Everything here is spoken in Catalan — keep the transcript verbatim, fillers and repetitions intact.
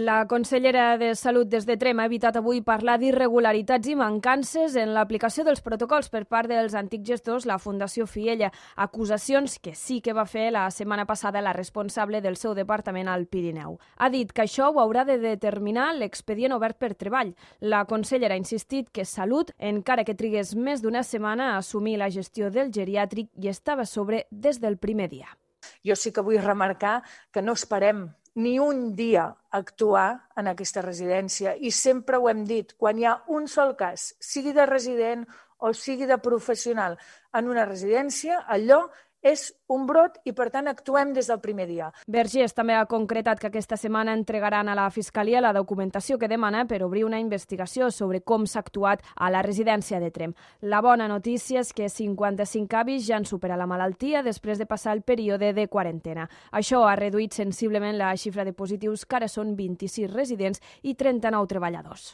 La consellera de Salut des de Trem ha evitat avui parlar d'irregularitats i mancances en l'aplicació dels protocols per part dels antics gestors, la Fundació Fiella, acusacions que sí que va fer la setmana passada la responsable del seu departament al Pirineu. Ha dit que això ho haurà de determinar l'expedient obert per treball. La consellera ha insistit que Salut, encara que trigués més d'una setmana a assumir la gestió del geriàtric, hi estava a sobre des del primer dia. Jo sí que vull remarcar que no esperem ni un dia actuar en aquesta residència i sempre ho hem dit, quan hi ha un sol cas, sigui de resident o sigui de professional en una residència, allò és un brot i, per tant, actuem des del primer dia. Vergés també ha concretat que aquesta setmana entregaran a la Fiscalia la documentació que demana per obrir una investigació sobre com s'ha actuat a la residència de Trem. La bona notícia és que cinquanta-cinc avis ja han superat la malaltia després de passar el període de quarantena. Això ha reduït sensiblement la xifra de positius, que ara són vint-i-sis residents i trenta-nou treballadors.